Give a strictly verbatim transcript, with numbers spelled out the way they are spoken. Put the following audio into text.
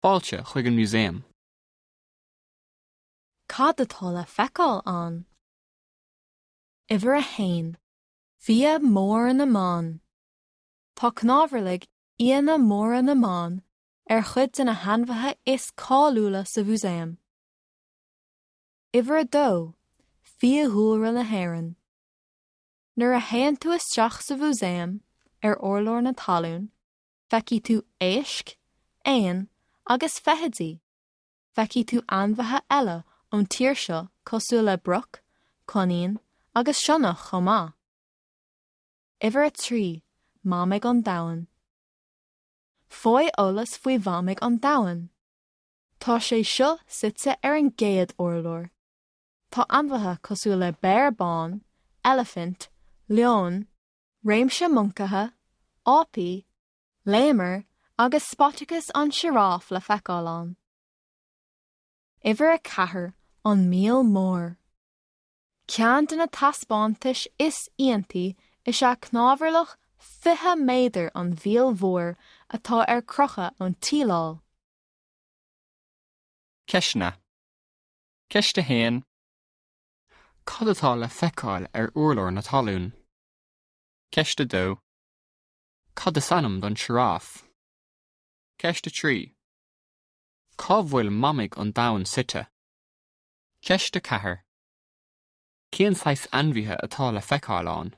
Fáilte chuig an músaem. Cad atá le feiceáil ann? Uimhir a haon. Fia mór na mban. Tá cnámharlaigh fhianna móra na mban ar chuid de na hainmhithe is cáiliúla sa mhúsaem. Uimhir a dó, Fiadhúlra na hÉireann. Nuair a théann tú isteach sa mhúsaem ar urlár na talún, feicfidh tú éisc, éin agus feithidí. Feicfidh tú ainmhithe eile ón tír seo cosúil le broc, coinín agus sionnach chomh maith. Uimhir a trí, Mamaigh an Domhain. Faigh eolas faoi mhamaigh an domhain. Tá sé seo suite ar an gcéad urlár. Tá ainmhithe cosúil le béar bán, eilifint, leon, réimse moncaithe, ápaí, léamair agus Spotacus an sioráf le feiceáil ann. Uimhir a ceathair an Míol Mór. Ceann de na taispeántais is iontaí is ea cnámharlach fiche méadar an mhíl mhóir atá ar crochadh ón tsíleáil. Ceisteanna. Ceist a haon. Cad atá le feiceáil ar urlár na talún? Ceist a dó. Cad is ainm don sioráf? Ceist a trí. Cá bhfuil mamaigh an domhain suite? Ceist a ceathair. Cén saghas ainmhithe atá le feiceáil ann?